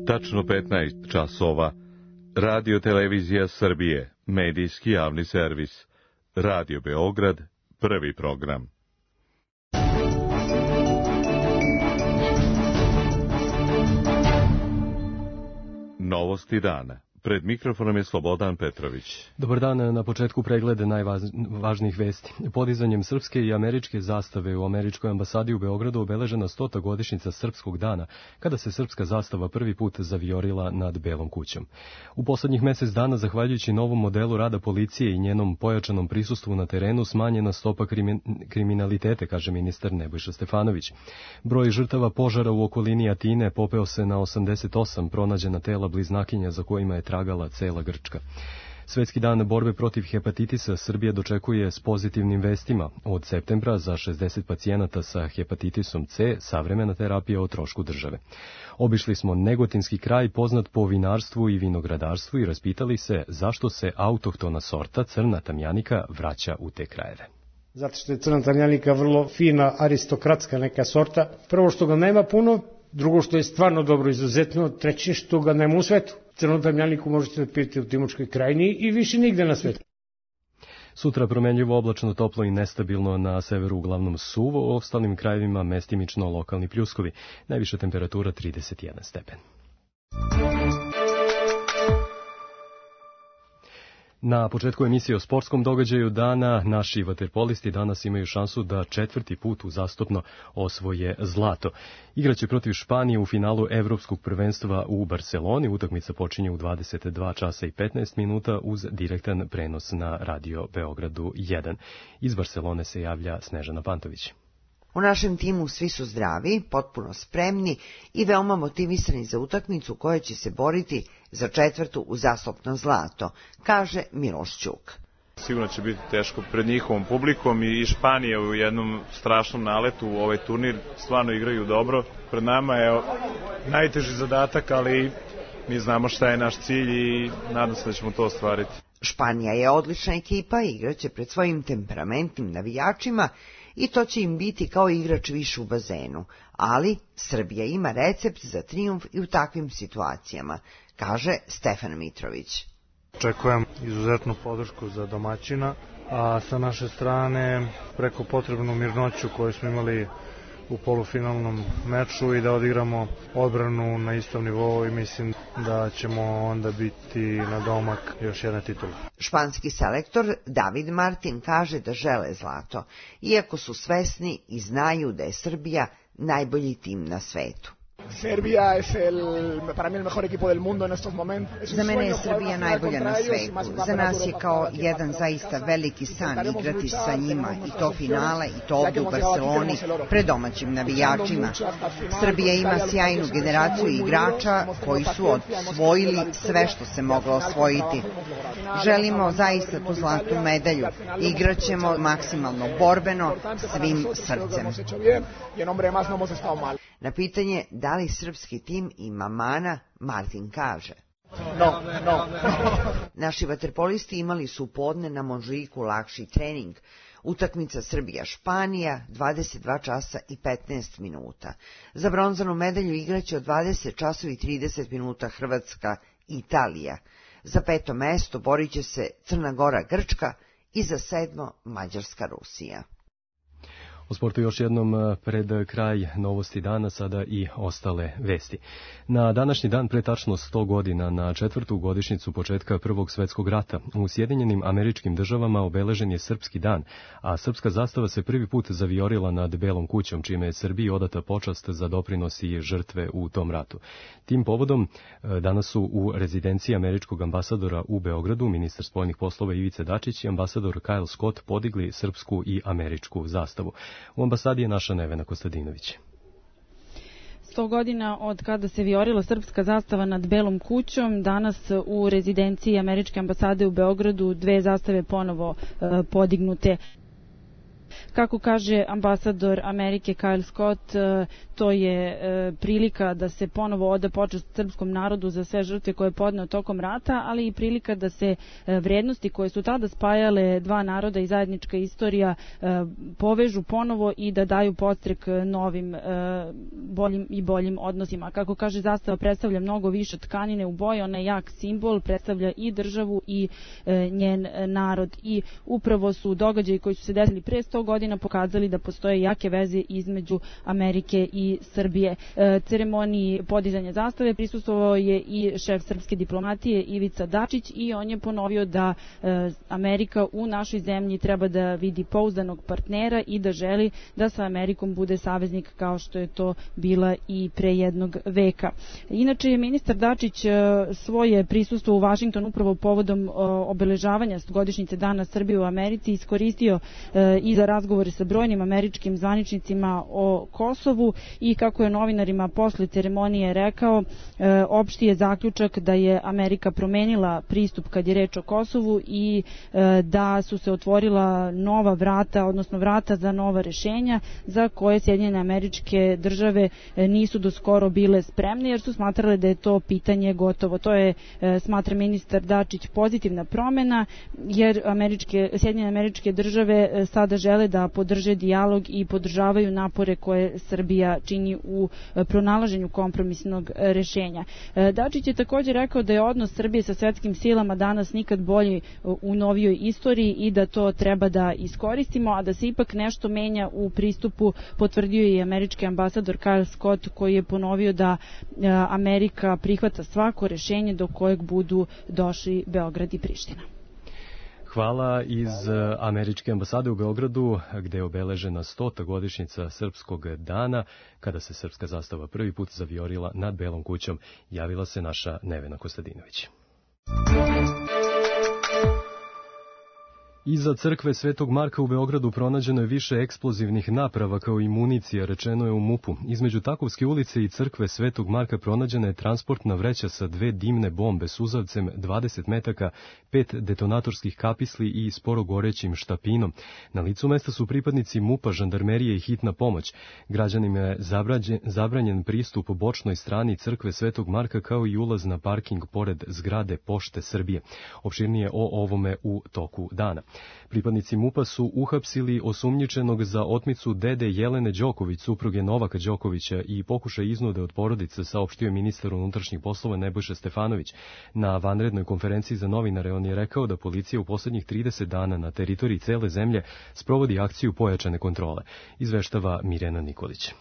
Tačno 15 časova. Radio Televizija Srbije, medijski javni servis. Radio Beograd, prvi program. Novosti dana. Pred mikrofonom je Slobodan Petrović. Dobar dan, na početku pregled najvažnijih vesti. Podizanjem srpske i američke zastave u američkoj ambasadi u Beogradu obeležena 100. godišnjica Srpskog dana, kada se srpska zastava prvi put zavijorila nad Belom kućom. U poslednjih mesec dana, zahvaljujući novom modelu rada policije i njenom pojačanom prisustvu na terenu, smanjena stopa kriminalitete, kaže ministar Nebojša Stefanović. Broj žrtava požara u okolini Atine popeo se na 88, pronađena tela bliznakinja za kojima je tragala cela Grčka. Svetski dan borbe protiv hepatitisa Srbija dočekuje s pozitivnim vestima. Od septembra za 60 pacijenata sa hepatitisom C savremena terapija o trošku države. Obišli smo Negotinski kraj poznat po vinarstvu i vinogradarstvu i raspitali se zašto se autohtona sorta crna tamjanika vraća u te krajeve. Zato što je crna tamjanika vrlo fina, aristokratska neka sorta. Prvo što ga nema puno, drugo što je stvarno dobro, izuzetno, treće što ga nema u svetu. Crnu tamjaniku možete da pijete u Timočkoj krajini i više nigde na svetu. Sutra promenljivo, oblačno, toplo i nestabilno, na severu uglavnom suvo, u ostalim krajevima mestimično lokalni pljuskovi. Najviša temperatura 31 stepen. Na početku emisije o sportskom događaju dana, naši vaterpolisti danas imaju šansu da četvrti put uzastopno osvoje zlato. Igraće protiv Španije u finalu Evropskog prvenstva u Barseloni. Utakmica počinje u 22 časa i 15 minuta uz direktan prenos na Radio Beogradu 1. Iz Barselone se javlja Snežana Pantović. U našem timu svi su zdravi, potpuno spremni i veoma motivisani za utakmicu koja će se boriti za četvrtu uzastopno zlato, kaže Miloš Ćuk. Sigurno će biti teško pred njihovom publikom i Španija u jednom strašnom naletu u ovaj turnir. Stvarno igraju dobro. Pred nama je najteži zadatak, ali mi znamo šta je naš cilj i nadam se da ćemo to ostvariti. Španija je odlična ekipa i igraće pred svojim temperamentnim navijačima i to će im biti kao igrač više u bazenu. Ali Srbija ima recept za trijumf i u takvim situacijama, kaže Stefan Mitrović. Očekujem izuzetnu podršku za domaćina, a sa naše strane preko potrebnu mirnoću koju smo imali u polufinalnom meču i da odigramo odbranu na istom nivou i mislim da ćemo onda biti na domak još jedne titule. Španski selektor David Martin kaže da žele zlato, iako su svesni i znaju da je Srbija najbolji tim na svetu. Za mene je Srbija najbolja na svetu. Za nas je kao jedan zaista veliki san igrati sa njima i to finale i to ovdje u Barceloni pred domaćim navijačima. Srbija ima sjajnu generaciju igrača koji su osvojili sve što se moglo osvojiti. Želimo zaista tu zlatnu medalju. Igraćemo maksimalno borbeno, svim srcem. Na pitanje da li srpski tim ima mana, Martin kaže: No. Naši vaterpolisti imali su podne na Monžiku lakši trening. Utakmica Srbija-Španija, 22 časa i 15 minuta. Za bronzanu medalju igraće od 20 časova i 30 minuta Hrvatska-Italija. Za 5. mesto borit će se Crna Gora-Grčka i za 7. Mađarska-Rusija. O sportu još jednom pred kraj novosti dana, sada i ostale vesti. Na današnji dan pre tačno 100 godina, na četvrtu godišnjicu početka Prvog svetskog rata, u Sjedinjenim Američkim Državama obeležen je Srpski dan, a srpska zastava se prvi put zavijorila nad Belom kućom, čime je Srbiji odata počast za doprinos i žrtve u tom ratu. Tim povodom danas su u rezidenciji američkog ambasadora u Beogradu ministar spoljnih poslova Ivica Dačić i ambasador Kyle Scott podigli srpsku i američku zastavu. U ambasadi je naša Nevena Kostadinović. 100 godina od kada se vijorila srpska zastava nad Belom kućom, danas u rezidenciji američke ambasade u Beogradu dve zastave ponovo podignute. Kako kaže ambasador Amerike Kyle Scott, to je prilika da se ponovo oda počast srpskom narodu za sve žrtve koje je podneo tokom rata, ali i prilika da se vrednosti koje su tada spajale dva naroda i zajednička istorija povežu ponovo i da daju podstrek novim boljim i boljim odnosima. Kako kaže, zastava predstavlja mnogo više tkanine u boji, ona je jak simbol, predstavlja i državu i njen narod. I upravo su događaji koji su se desili pre 100 godina pokazali da postoje jake veze između Amerike i Srbije. Ceremoniji podizanja zastave prisustvovao je i šef srpske diplomatije Ivica Dačić i on je ponovio da Amerika u našoj zemlji treba da vidi pouzdanog partnera i da želi da sa Amerikom bude saveznik kao što je to bila i pre jednog veka. Inače je ministar Dačić svoje prisustvo u Vašingtonu upravo povodom obeležavanja 100-godišnjice Dana Srbije u Americi iskoristio i za razgovore sa brojnim američkim zvaničnicima o Kosovu i kako je novinarima posle ceremonije rekao, opšti je zaključak da je Amerika promenila pristup kad je reč o Kosovu i da su se otvorila nova vrata, odnosno vrata za nova rešenja za koje Sjedinjene Američke Države nisu do skoro bile spremne jer su smatrale da je to pitanje gotovo. To je, smatra ministar Dačić, pozitivna promena jer Sjedinjene Američke Države sada žele da podrže dijalog i podržavaju napore koje Srbija čini u pronalaženju kompromisnog rešenja. Dačić je također rekao da je odnos Srbije sa svetskim silama danas nikad bolji u novijoj istoriji i da to treba da iskoristimo, a da se ipak nešto menja u pristupu potvrdio je i američki ambasador Kyle Scott koji je ponovio da Amerika prihvata svako rešenje do kojeg budu došli Beograd i Priština. Hvala iz američke ambasade u Beogradu, gde je obeležena 100. godišnjica Srpskog dana, kada se srpska zastava prvi put zavijorila nad Belom kućom. Javila se naša Nevena Kostadinović. Iza crkve Svetog Marka u Beogradu pronađeno je više eksplozivnih naprava kao i municija, rečeno je u MUP-u. Između Takovske ulice i crkve Svetog Marka pronađena je transportna vreća sa 2 dimne bombe s uzavcem 20 metaka, 5 detonatorskih kapisli i sporo gorećim štapinom. Na licu mesta su pripadnici MUP-a, žandarmerije i hitna pomoć. Građanima je zabranjen pristup bočnoj strani crkve Svetog Marka kao i ulaz na parking pored zgrade Pošte Srbije. Opširnije o ovome u toku dana. Pripadnici MUP-a su uhapsili osumnjičenog za otmicu dede Jelene Đoković, supruge Novaka Đokovića i pokušaj iznude od porodice, saopštio je ministar unutrašnjih poslova Nebojša Stefanović. Na vanrednoj konferenciji za novinare on je rekao da policija u poslednjih 30 dana na teritoriji cele zemlje sprovodi akciju pojačane kontrole. Izveštava Mirjana Nikolić.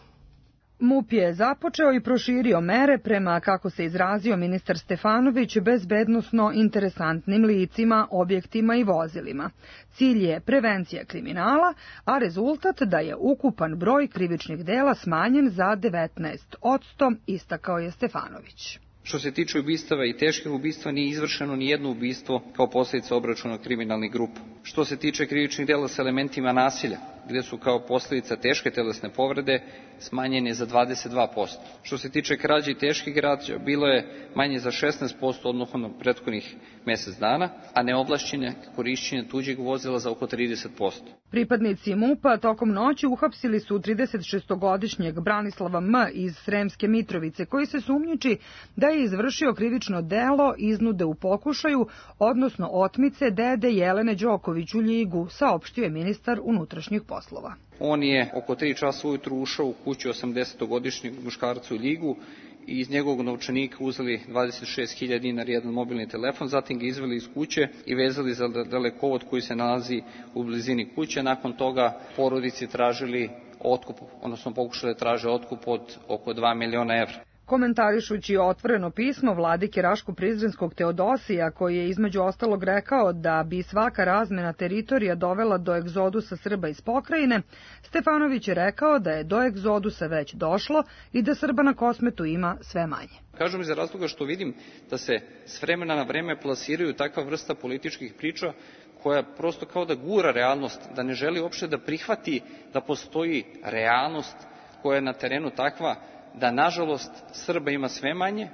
MUP je započeo i proširio mere prema, kako se izrazio ministar Stefanović, bezbednosno interesantnim licima, objektima i vozilima. Cilj je prevencija kriminala, a rezultat da je ukupan broj krivičnih dela smanjen za 19%, istakao je Stefanović. Što se tiče ubistava i teških ubistva, nije izvršeno ni jedno ubistvo kao posljedica obračuna kriminalnih grupa. Što se tiče krivičnih dela sa elementima nasilja, gde su kao posljedica teške telesne povrede smanjene za 22%. Što se tiče krađe i teških krađa, bilo je manje za 16% odnosno na prethodnih mjesec dana, a neovlašćene korišćenje tuđeg vozila za oko 30%. Pripadnici MUP-a tokom noći uhapsili su 36-godišnjeg Branislava M. iz Sremske Mitrovice, koji se sumnjiči da je izvršio krivično delo iznude u pokušaju, odnosno otmice dede Jelene Đoković u Ljigu, saopštio je ministar unutrašnjih poslova. On je oko 3 časa ujutru ušao u kuću 80-godišnjeg muškarca u Ljigu i iz njegovog novčanika uzeli 26.000 dinara i jedan mobilni telefon, zatim ga izveli iz kuće i vezali za dalekovod koji se nalazi u blizini kuće. Nakon toga porodici tražili otkup, odnosno pokušali da traže otkup od oko 2 miliona evra. Komentarišući otvoreno pismo vladike Raško-Prizrenskog Teodosija, koji je između ostalog rekao da bi svaka razmena teritorija dovela do egzodusa Srba iz pokrajine, Stefanović je rekao da je do egzodusa već došlo i da Srba na Kosmetu ima sve manje. Kažem iz razloga što vidim da se s vremena na vreme plasiraju takva vrsta političkih priča koja prosto kao da gura realnost, da ne želi uopšte da prihvati da postoji realnost koja je na terenu takva da nažalost Srba ima sve manje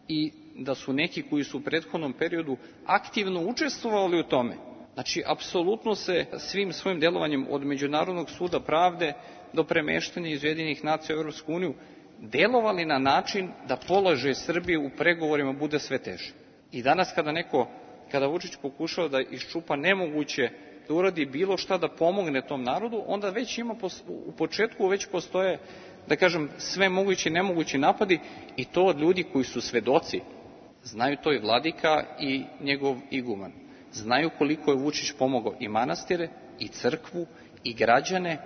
i da su neki koji su u prethodnom periodu aktivno učestvovali u tome Znači, apsolutno se svim svojim delovanjem od Međunarodnog suda pravde do premeštanja iz Ujedinjenih nacija u Evropsku uniju delovali na način da položaj Srbije u pregovorima bude sve teže. I danas kada Vučić pokušava da iščupa nemoguće, da uradi bilo šta da pomogne tom narodu, onda već ima u početku već postoje, da kažem, sve mogući i nemogući napadi, i to od ljudi koji su svedoci. Znaju to i vladika i njegov iguman. Znaju koliko je Vučić pomogao i manastire, i crkvu, i građane,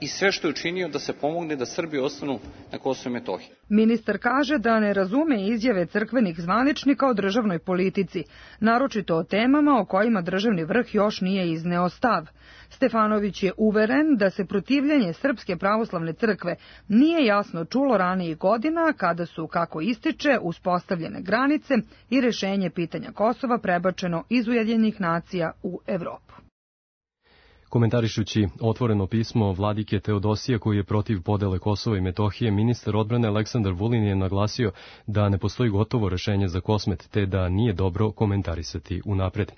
i sve što je učinio da se pomogne da Srbi ostanu na Kosovu i Metohiji. Ministar kaže da ne razume izjave crkvenih zvaničnika o državnoj politici, naročito o temama o kojima državni vrh još nije izneo stav. Stefanović je uveren da se protivljenje Srpske pravoslavne crkve nije jasno čulo ranijih godina kada su, kako ističe, uspostavljene granice i rešenje pitanja Kosova prebačeno iz Ujedinjenih nacija u Evropu. Komentarišući otvoreno pismo vladike Teodosija koji je protiv podele Kosova i Metohije, ministar odbrane Aleksandar Vulin je naglasio da ne postoji gotovo rešenje za Kosmet, te da nije dobro komentarisati unapred.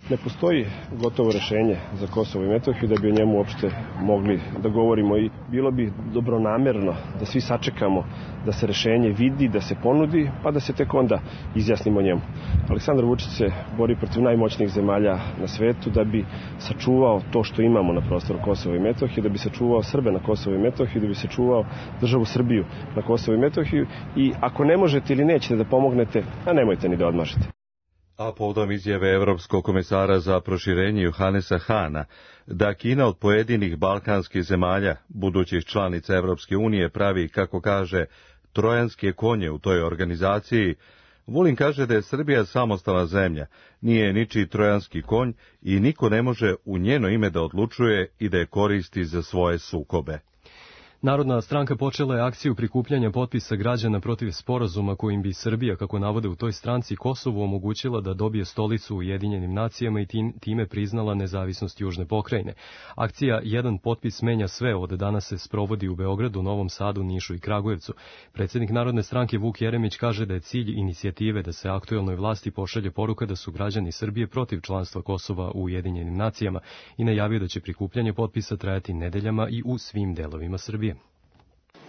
Ne postoji gotovo rešenje za Kosovo i Metohiju da bi o njemu uopšte mogli da govorimo, i bilo bi dobronamerno da svi sačekamo da se rešenje vidi, da se ponudi, pa da se tek onda izjasnimo o njemu. Aleksandar Vučić se bori protiv najmoćnijih zemalja na svetu da bi sačuvao to što imamo na prostoru Kosova i Metohije, da bi sačuvao Srbe na Kosovu i Metohiji, da bi sačuvao državu Srbiju na Kosovu i Metohiju, i ako ne možete ili nećete da pomognete, a nemojte ni da odmažete. A povodom izjave Evropskog komesara za proširenje Johanesa Hana da Kina od pojedinih balkanskih zemalja, budućih članica Evropske unije, pravi, kako kaže, trojanske konje u toj organizaciji, Vulin kaže da je Srbija samostalna zemlja, nije ničiji trojanski konj i niko ne može u njeno ime da odlučuje i da je koristi za svoje sukobe. Narodna stranka počela je akciju prikupljanja potpisa građana protiv sporazuma kojim bi Srbija, kako navode u toj stranci, Kosovu omogućila da dobije stolicu u Ujedinjenim nacijama i time priznala nezavisnost južne pokrajine. Akcija Jedan potpis menja sve od danas se sprovodi u Beogradu, Novom Sadu, Nišu i Kragujevcu. Predsjednik Narodne stranke Vuk Jeremić kaže da je cilj inicijative da se aktuelnoj vlasti pošalje poruka da su građani Srbije protiv članstva Kosova u Ujedinjenim nacijama i najavio da će prikupljanje potpisa trajati nedeljama i u svim delovima Srbije.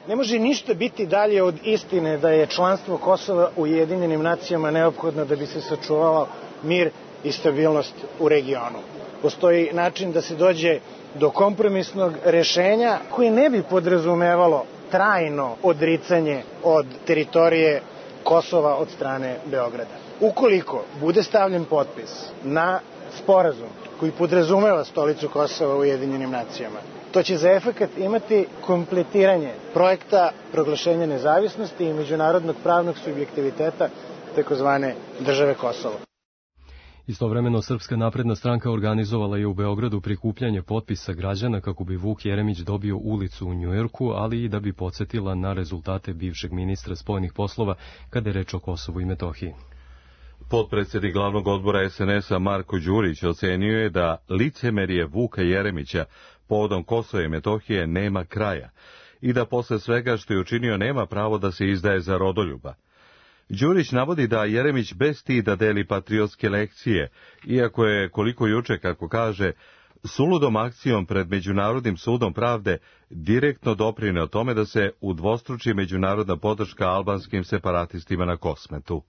Ne može ništa biti dalje od istine da je članstvo Kosova u Ujedinjenim nacijama neophodno da bi se sačuvao mir i stabilnost u regionu. Postoji način da se dođe do kompromisnog rešenja koje ne bi podrazumevalo trajno odricanje od teritorije Kosova od strane Beograda. Ukoliko bude stavljen potpis na sporazum koji podrazumeva stolicu Kosova u Ujedinjenim nacijama, to će za efekat imati kompletiranje projekta proglašenja nezavisnosti i međunarodnog pravnog subjektiviteta takozvane države Kosovo. Istovremeno, Srpska napredna stranka organizovala je u Beogradu prikupljanje potpisa građana kako bi Vuk Jeremić dobio ulicu u Njujorku, ali i da bi podsjetila na rezultate bivšeg ministra spoljnih poslova kada je reč o Kosovu i Metohiji. Potpredsjednik glavnog odbora SNS-a Marko Đurić ocenio je da licemerje Vuka Jeremića povodom Kosova i Metohije nema kraja i da posle svega što je učinio nema pravo da se izdaje za rodoljuba. Đurić navodi da Jeremić bez stida deli patriotske lekcije, iako je, koliko juče, kako kaže, suludom akcijom pred Međunarodnim sudom pravde direktno doprineo tome da se udvostruči međunarodna podrška albanskim separatistima na Kosmetu.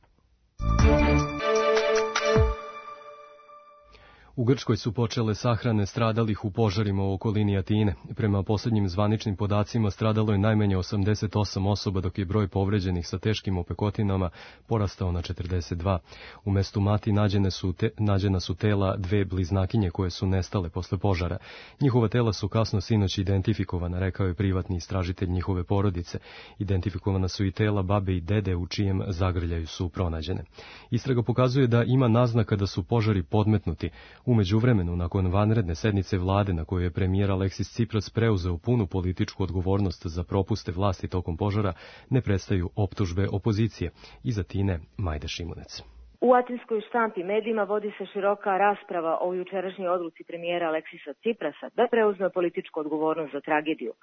U Grčkoj su počele sahrane stradalih u požarima u okolini Atine. Prema posljednjim zvaničnim podacima stradalo je najmanje 88 osoba, dok je broj povređenih sa teškim opekotinama porastao na 42. U mestu Mati nađena su tela dve bliznakinje koje su nestale posle požara. Njihova tela su kasno sinoć identifikovana, rekao je privatni istražitelj njihove porodice. Identifikovana su i tela babe i dede u čijem zagrljaju su pronađene. Istraga pokazuje da ima naznaka da su požari podmetnuti. U međuvremenu, nakon vanredne sednice vlade na kojoj je premijer Aleksis Cipras preuzeo punu političku odgovornost za propuste vlasti tokom požara, ne prestaju optužbe opozicije. Iz Atine, Majda Šimunec. U atinskoj štampi medijima vodi se široka rasprava o jučerašnjoj odluci premijera Aleksisa Ciprasa da preuzme političku odgovornost za tragediju.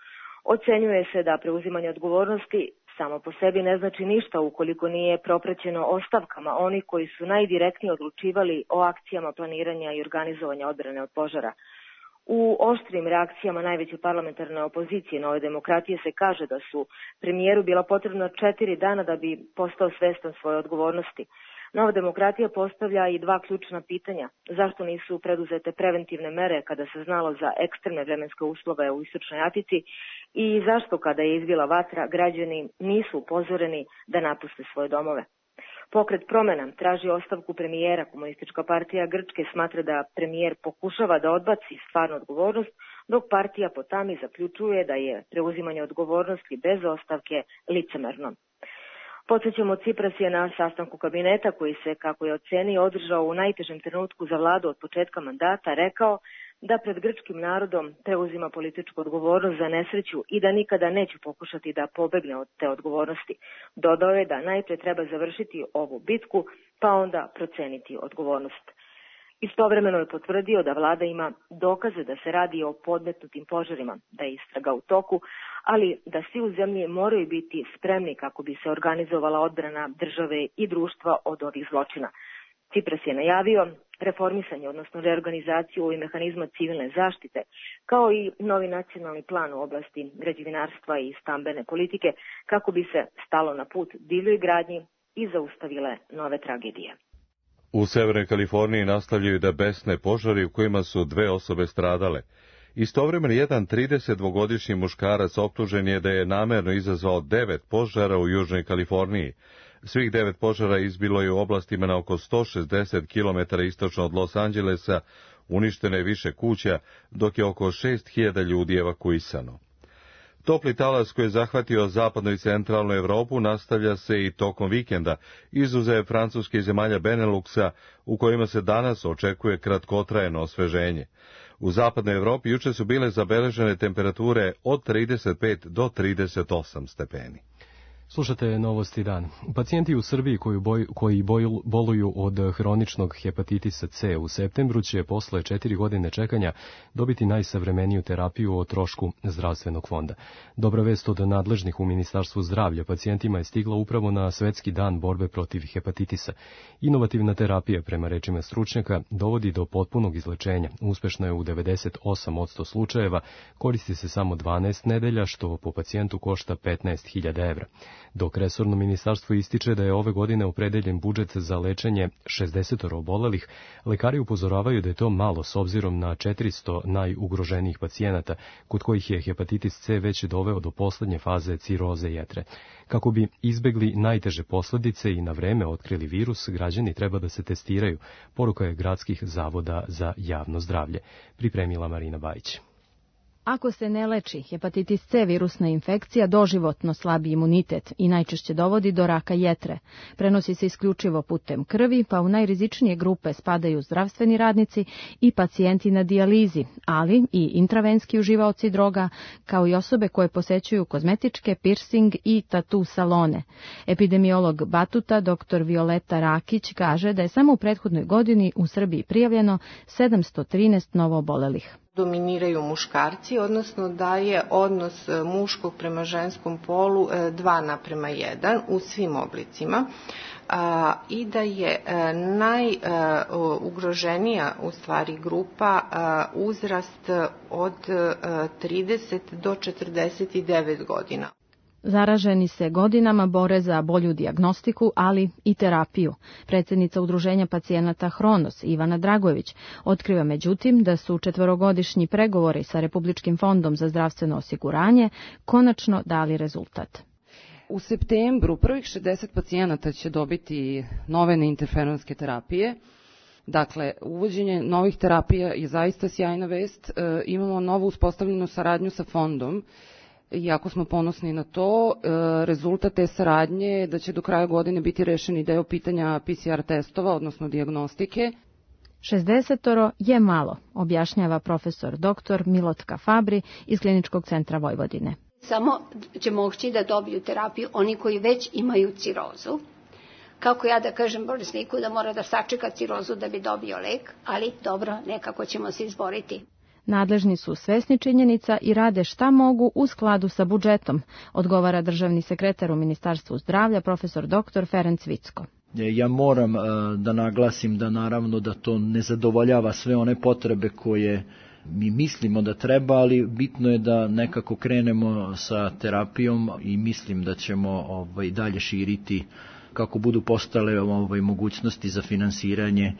Ocenjuje se da preuzimanje odgovornosti samo po sebi ne znači ništa ukoliko nije propraćeno ostavkama onih koji su najdirektnije odlučivali o akcijama planiranja i organizovanja odbrane od požara. U oštrim reakcijama najveće parlamentarne opozicije Nove demokratije se kaže da su premijeru bila potrebna 4 dana da bi postao svestan svoje odgovornosti. Nova demokratija postavlja i 2 ključna pitanja. Zašto nisu preduzete preventivne mere kada se znalo za ekstremne vremenske uslove u Istočnoj Atici i zašto kada je izbila vatra građani nisu upozoreni da napuste svoje domove? Pokret Promena traži ostavku premijera. Komunistička partija Grčke smatra da premijer pokušava da odbaci stvarnu odgovornost, dok partija Potami zaključuje da je preuzimanje odgovornosti bez ostavke licemerno. Podsjećamo, Cipras je na sastanku kabineta koji se, kako je ocenio, održao u najtežem trenutku za vladu od početka mandata, rekao da pred grčkim narodom preuzima političku odgovornost za nesreću i da nikada neće pokušati da pobegne od te odgovornosti. Dodao je da najpre treba završiti ovu bitku, pa onda proceniti odgovornost. Istovremeno je potvrdio da vlada ima dokaze da se radi o podmetnutim požarima, da je istraga u toku, ali da svi u zemlji moraju biti spremni kako bi se organizovala odbrana države i društva od ovih zločina. Cipras je najavio reformisanje, odnosno reorganizaciju i mehanizma civilne zaštite, kao i novi nacionalni plan u oblasti građevinarstva i stambene politike, kako bi se stalo na put divljoj gradnji i zaustavile nove tragedije. U Severnoj Kaliforniji nastavljaju da besne požari u kojima su 2 osobe stradale. Istovremeno jedan 32-godišnji muškarac optužen je da je namerno izazvao 9 požara u Južnoj Kaliforniji. Svih 9 požara izbilo je u oblastima na oko 160 km istočno od Los Angelesa, uništeno je više kuća, dok je oko 6.000 ljudi evakuisano. Topli talas koji je zahvatio zapadnu i centralnu Evropu nastavlja se i tokom vikenda, izuzev Francuske i zemalja Beneluxa, u kojima se danas očekuje kratkotrajno osveženje. U zapadnoj Evropi juče su bile zabeležene temperature od 35 do 38 stepeni. Slušate Novosti dan. Pacijenti u Srbiji koji boluju od hroničnog hepatitisa C u septembru će posle 4 godine čekanja dobiti najsavremeniju terapiju o trošku zdravstvenog fonda. Dobra vest od nadležnih u Ministarstvu zdravlja pacijentima je stigla upravo na Svetski dan borbe protiv hepatitisa. Inovativna terapija, prema rečima stručnjaka, dovodi do potpunog izlečenja. Uspešno je u 98% slučajeva, koristi se samo 12 nedelja, što po pacijentu košta 15.000 evra. Dok resorno ministarstvo ističe da je ove godine opredeljen budžet za lečenje 60 obolelih, lekari upozoravaju da je to malo s obzirom na 400 najugroženijih pacijenata, kod kojih je hepatitis C već doveo do poslednje faze ciroze jetre. Kako bi izbegli najteže posljedice i na vreme otkrili virus, građani treba da se testiraju, poruka je gradskih zavoda za javno zdravlje. Pripremila Marina Bajić. Ako se ne leči, hepatitis C virusna infekcija doživotno slabi imunitet i najčešće dovodi do raka jetre. Prenosi se isključivo putem krvi, pa u najrizičnije grupe spadaju zdravstveni radnici i pacijenti na dijalizi, ali i intravenski uživaoci droga, kao i osobe koje posećuju kozmetičke, piercing i tatu salone. Epidemiolog Batuta, dr. Violeta Rakić, kaže da je samo u prethodnoj godini u Srbiji prijavljeno 713 novoobolelih. Dominiraju muškarci, odnosno da je odnos muškog prema ženskom polu 2:1 u svim oblicima i da je najugroženija u stvari grupa uzrast od 30 do 49 godina. Zaraženi se godinama bore za bolju dijagnostiku, ali i terapiju. Predsjednica Udruženja pacijenata Hronos, Ivana Dragojević, otkriva međutim da su 4-godišnji pregovori sa Republičkim fondom za zdravstveno osiguranje konačno dali rezultat. U septembru prvih 60 pacijenata će dobiti nove neinterferonske terapije. Dakle, uvođenje novih terapija je zaista sjajna vest. Imamo novu uspostavljenu saradnju sa fondom. Iako smo ponosni na to, rezultat te saradnje je da će do kraja godine biti rešeni deo pitanja PCR testova, odnosno dijagnostike. 60 je malo, objašnjava profesor dr. Milotka Fabri iz Kliničkog centra Vojvodine. Samo će moći da dobiju terapiju oni koji već imaju cirozu. Kako ja da kažem bolesniku da mora da sačeka cirozu da bi dobio lek, ali dobro, nekako ćemo se izboriti. Nadležni su svesni činjenica i rade šta mogu u skladu sa budžetom, odgovara državni sekretar u Ministarstvu zdravlja, profesor dr. Ferenc Vicko. Ja moram da naglasim da naravno da to ne zadovoljava sve one potrebe koje mi mislimo da treba, ali bitno je da nekako krenemo sa terapijom i mislim da ćemo dalje širiti kako budu postale mogućnosti za finansiranje,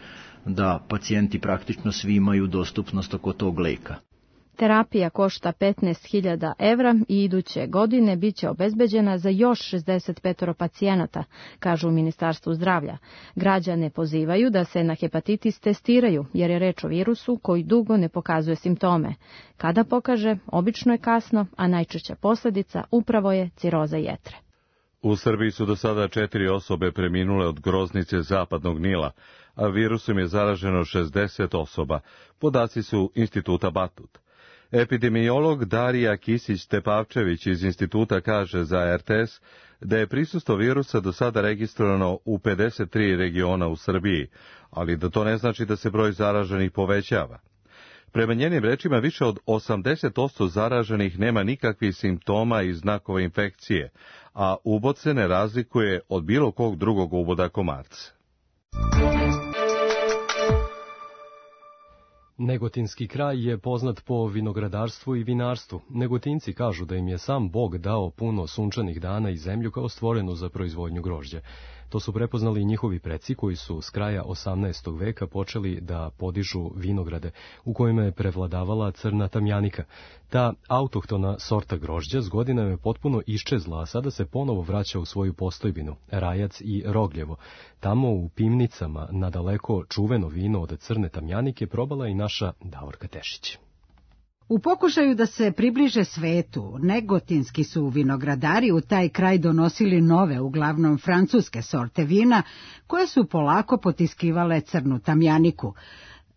da pacijenti praktično svi imaju dostupnost oko tog leka. Terapija košta 15.000 evra i iduće godine biće obezbeđena za još 65 pacijenata, kažu u Ministarstvu zdravlja. Građane pozivaju da se na hepatitis testiraju, jer je reč o virusu koji dugo ne pokazuje simptome. Kada pokaže, obično je kasno, a najčešća posljedica upravo je ciroza jetre. U Srbiji su do sada 4 osobe preminule od groznice Zapadnog Nila, a virusom je zaraženo 60 osoba. Podaci su Instituta Batut. Epidemiolog Darija Kisić-Tepavčević iz instituta kaže za RTS da je prisustvo virusa do sada registrovano u 53 regiona u Srbiji, ali da to ne znači da se broj zaraženih povećava. Prema njenim rečima, više od 80% zaraženih nema nikakvih simptoma i znakova infekcije, a ubod se ne razlikuje od bilo kog drugog uboda komarca. Negotinski kraj je poznat po vinogradarstvu i vinarstvu. Negotinci kažu da im je sam Bog dao puno sunčanih dana i zemlju kao stvorenu za proizvodnju grožđa. To su prepoznali i njihovi preci koji su s kraja 18. veka počeli da podižu vinograde u kojima je prevladavala crna tamjanika. Ta autohtona sorta grožđa s godinama je potpuno iščezla, a sada se ponovo vraća u svoju postojbinu, Rajac i Rogljevo. Tamo u Pimnicama nadaleko čuveno vino od crne tamjanike probala i naša Davorka Tešić. U pokušaju da se približe svetu, negotinski su vinogradari u taj kraj donosili nove, uglavnom francuske sorte vina, koje su polako potiskivale crnu tamjaniku.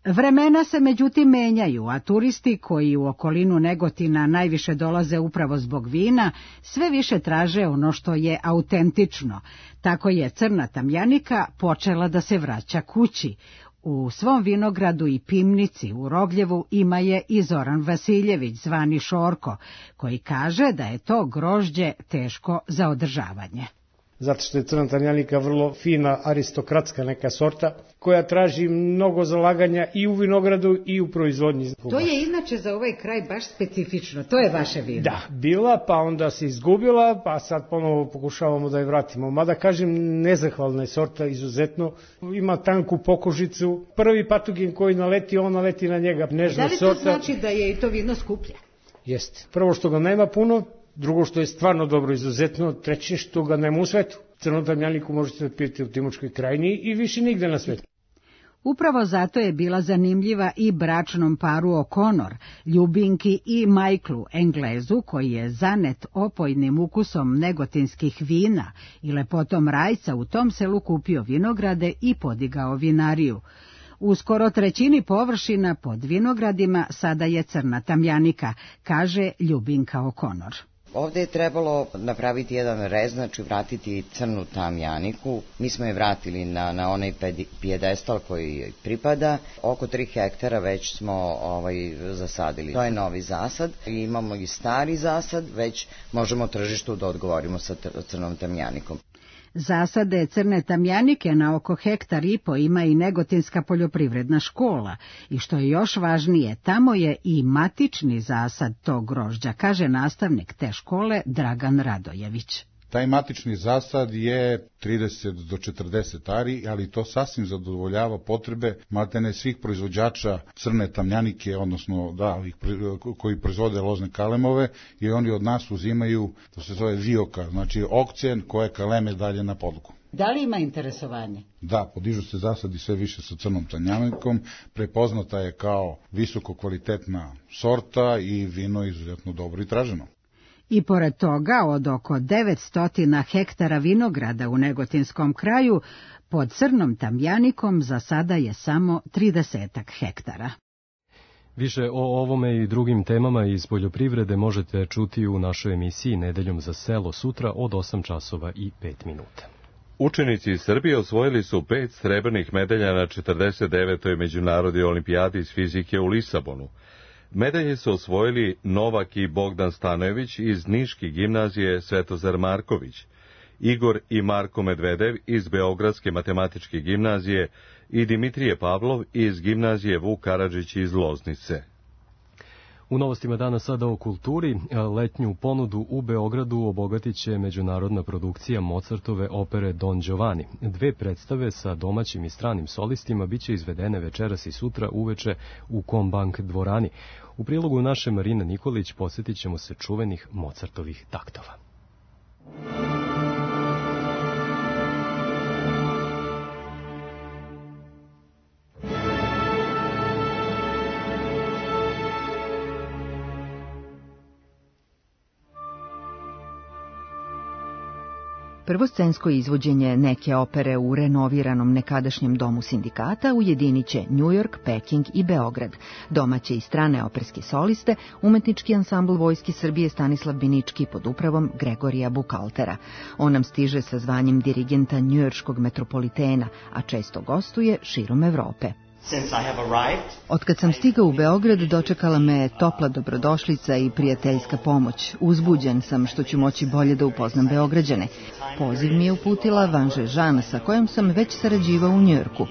Vremena se međutim menjaju, a turisti koji u okolinu Negotina najviše dolaze upravo zbog vina, sve više traže ono što je autentično. Tako je crna tamjanika počela da se vraća kući. U svom vinogradu i Pimnici u Rogljevu ima je i Zoran Vasiljević, zvani Šorko, koji kaže da je to grožđe teško za održavanje. Zato što je crna tamjanika vrlo fina, aristokratska neka sorta, koja traži mnogo zalaganja i u vinogradu i u proizvodnji. To je inače za ovaj kraj baš specifično, to je vaše vino. Da, bila, pa onda se izgubila, pa sad ponovo pokušavamo da je vratimo. Mada kažem, nezahvalna je sorta, izuzetno, ima tanku pokožicu. Prvi patogen koji naleti, on naleti na njega. Nežna da li to sorta. Znači da je i to vino skuplje? Jeste. Prvo što ga nema puno, drugo što je stvarno dobro, izuzetno, treće što ga nema u svetu. Crnu tamjaniku možete da pijete u Timočkoj krajini i više nigde na svetu. Upravo zato je bila zanimljiva i bračnom paru O'Connor, Ljubinki i Michaelu, Englezu, koji je zanet opojnim ukusom negotinskih vina i lepotom rajca u tom selu kupio vinograde i podigao vinariju. U skoro trećini površina pod vinogradima sada je crna tamjanika, kaže Ljubinka O'Connor. Ovde je trebalo napraviti jedan rez, znači vratiti crnu tamjaniku. Mi smo je vratili na onaj pijedestal koji pripada. Oko 3 hektara već smo zasadili. To je novi zasad. Imamo i stari zasad, već možemo tržištu da odgovorimo sa crnom tamjanikom. Zasade crne tamjanike na oko 1,5 hektara ima i Negotinska poljoprivredna škola i što je još važnije, tamo je i matični zasad tog grožđa, kaže nastavnik te škole Dragan Radojević. Taj matični zasad je 30 do 40 ari, ali to sasvim zadovoljava potrebe maltene svih proizvođača crne tamjanike, odnosno koji proizvode lozne kalemove, i oni od nas uzimaju, to se zove vioka, znači okcen koje kaleme dalje na podlogu. Da li ima interesovanje? Da, podižu se zasadi sve više sa crnom tamjanikom, prepoznata je kao visoko kvalitetna sorta i vino izuzetno dobro i traženo. I pored toga, od oko 900 hektara vinograda u Negotinskom kraju, pod crnom tamjanikom za sada je samo 30 hektara. Više o ovome i drugim temama iz poljoprivrede možete čuti u našoj emisiji Nedeljom za selo sutra od 8 časova i 5 minuta. Učenici iz Srbije osvojili su 5 srebrnih medalja na 49. međunarodnoj olimpijadi iz fizike u Lisabonu. Medalje su osvojili Novak i Bogdan Stanojević iz Niške gimnazije Svetozar Marković, Igor i Marko Medvedev iz Beogradske matematičke gimnazije i Dimitrije Pavlov iz gimnazije Vuk Karadžić iz Loznice. U novostima dana sada o kulturi, letnju ponudu u Beogradu obogatit će međunarodna produkcija Mozartove opere Don Giovanni. 2 predstave sa domaćim i stranim solistima biće izvedene večeras i sutra uveče u Kombank dvorani. U prilogu naše Marina Nikolić posjetit ćemo se čuvenih Mozartovih taktova. Prvoscensko izvođenje neke opere u renoviranom nekadašnjem domu sindikata ujedinit će New York, Peking i Beograd. Domaće i strane operske soliste, umetnički ansambl Vojske Srbije Stanislav Binički pod upravom Gregorija Bukaltera. On nam stiže sa zvanjem dirigenta njujorškog metropolitena, a često gostuje širom Evrope. Otkad sam stigao u Beograd, dočekala me topla dobrodošlica i prijateljska pomoć. Uzbuđen sam što ću moći bolje da upoznam Beograđane. Poziv mi je uputila Vanže Žan, sa kojom sam već sarađivao u Njujorku.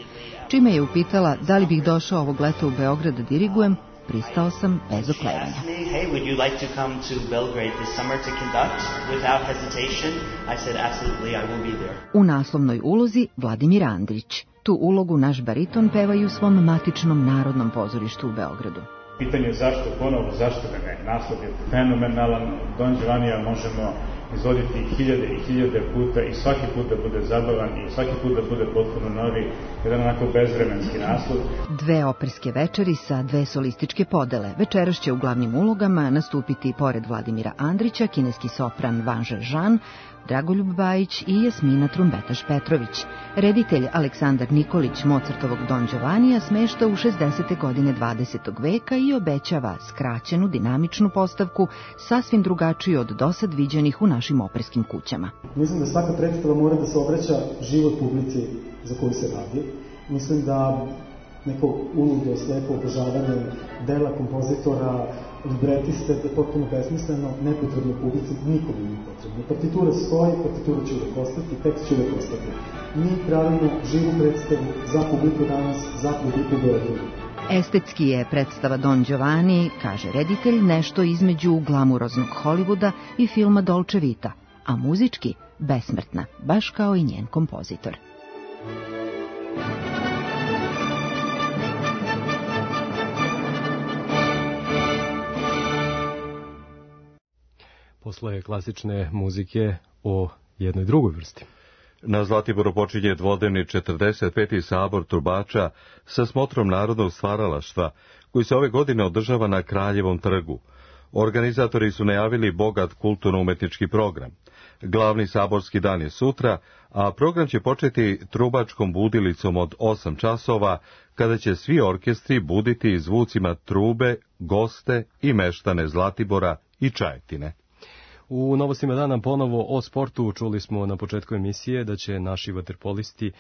Čime je upitala da li bih došao ovog leta u Beograd da dirigujem, pristao sam bez oklevanja. U naslovnoj ulozi Vladimir Andrić. Tu ulogu naš bariton peva i u svom matičnom Narodnom pozorištu u Beogradu. Pitanje zašto ponovo, zašto da ne? Naslov je fenomenalan, Don Giovannija možemo izvoditi hiljade i hiljade puta i svaki put da bude zabavan i svaki put da bude potpuno novi, jedan onako bezvremenski naslov. 2 operske večeri sa 2 solističke podele. Večeras će u glavnim ulogama nastupiti pored Vladimira Andrića kineski sopran Vanže Žan, Dragoljub Bajić i Jasmina Trumbetaš Petrović. Reditelj Aleksandar Nikolić Mozartovog Don Giovannija smešta u 60. godine 20. veka i obećava skraćenu, dinamičnu postavku, sasvim drugačiju od dosad viđenih u našim operskim kućama. Mislim da svaka predstava mora da se obraća život publici za koju se radi. Mislim da neko uludo, slepo obožavanje dela kompozitora, libretiste, je potpuno besmisleno, nepotrebno publici, nikome nije potrebno. Partitura stoji, partitura će uvek ostati, tekst će uvek ostati. Mi pravimo živu predstavu za publiku danas, za publiku Beograda. Estetski je predstava Don Giovanni, kaže reditelj, nešto između glamuroznog Hollywooda i filma Dolce Vita, a muzički besmrtna, baš kao i njen kompozitor. Posle klasične muzike o jednoj drugoj vrsti. Na Zlatiboru počinje dvodnevni 45. sabor trubača sa smotrom narodnog stvaralaštva, koji se ove godine održava na Kraljevom trgu. Organizatori su najavili bogat kulturno-umetnički program. Glavni saborski dan je sutra, a program će početi trubačkom budilicom od 8 časova, kada će svi orkestri buditi zvucima trube, goste i meštane Zlatibora i Čajetine. U novostima dana ponovo o sportu. Čuli smo na početku emisije da će naši vaterpolisti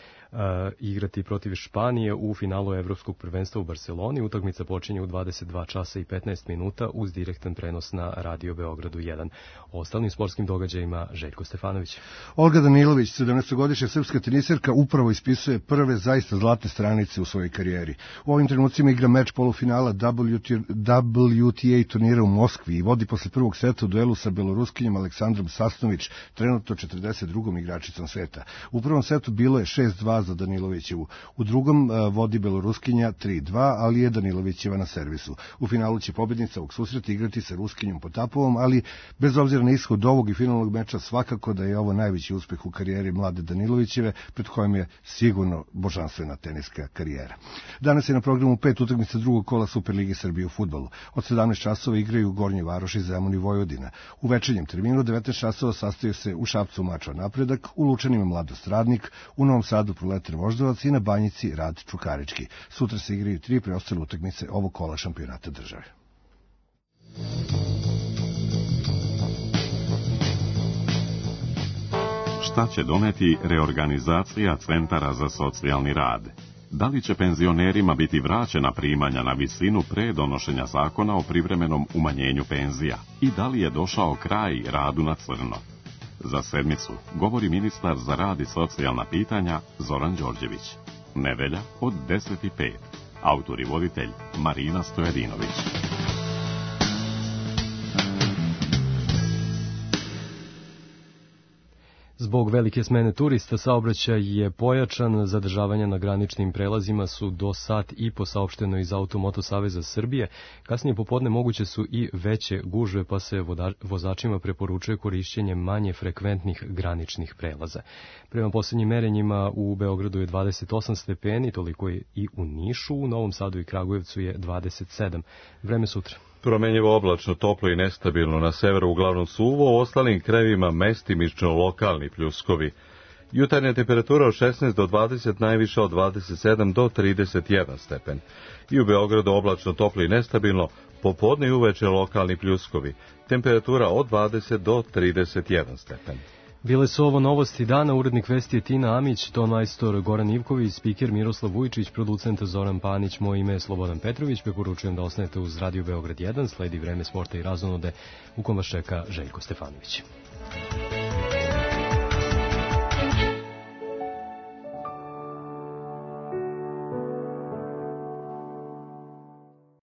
igrati protiv Španije u finalu Evropskog prvenstva u Barseloni. Utakmica počinje u 22 časa i 15 minuta uz direktan prenos na Radio Beogradu 1. O ostalim sportskim događajima Željko Stefanović. Olga Danilović, 17-godišnja srpska teniserka, upravo ispisuje prve zaista zlatne stranice u svojoj karijeri. U ovim trenucima igra meč polufinala WTA turnira u Moskvi i vodi posle prvog seta u duelu sa beloruskinjom Aleksandrom Sasnović, trenutno 42. igračicom sveta. U prvom setu bilo je 6-2 za Danilovićevu. U drugom vodi beloruskinja 3-2, ali je Danilovićeva na servisu. U finalu će pobednica ovog susreta igrati sa Ruskinjom Potapovom, ali bez obzira na ishod ovog i finalnog meča, svakako da je ovo najveći uspeh u karijeri mlade Danilovićeve, pred kojom je sigurno božanstvena teniska karijera. Danas je na programu 5 utakmica drugog kola Superlige Srbije u fudbalu. Od 17 časova igraju Gornji Varoši, Zemun i Vojvodina. U večernjem terminu 19 časova sastaju se u Šapcu Mačva Napredak, u Lučanima Mladost Radnik, u Novom Sadu Proletar Voždovac i na Banjici Rad Čukarički. Sutra se igraju 3 preostale utakmice ovog kola šampionata države. Šta će doneti reorganizacija centara za socijalni rad? Da li će penzionerima biti vraćena primanja na visinu pre donošenja zakona o privremenom umanjenju penzija? I da li je došao kraj radu na crno? Za sedmicu govori ministar za rad i socijalna pitanja Zoran Đorđević. Nedelja od 10:05. Autor i voditelj Marina Stojadinović. Zbog velike smene turista saobraćaj je pojačan, zadržavanja na graničnim prelazima su do sat i po, saopšteno iz Automoto Saveza Srbije. Kasnije popodne moguće su i veće gužve, pa se vozačima preporučuje korišćenje manje frekventnih graničnih prelaza. Prema posljednjim merenjima u Beogradu je 28 stepeni, toliko je i u Nišu, u Novom Sadu i Kragujevcu je 27. Vreme sutra. Promenjivo oblačno, toplo i nestabilno, na severu uglavnom suvo, u ostalim krajevima mestimično lokalni pljuskovi. Jutarnja temperatura od 16 do 20, najviša od 27 do 31 stepen. I u Beogradu oblačno, toplo i nestabilno, popodne i uveče lokalni pljuskovi. Temperatura od 20 do 31 stepen. Bile su ovo novosti dana, urednik vesti je Tina Amić, ton majstor Goran Ivković, spiker Miroslav Vujčić, producent Zoran Panić, moje ime je Slobodan Petrović, preporučujem da ostanete uz Radio Beograd 1, sledi vreme sporta i razonode u kom vas čeka Željko Stefanović.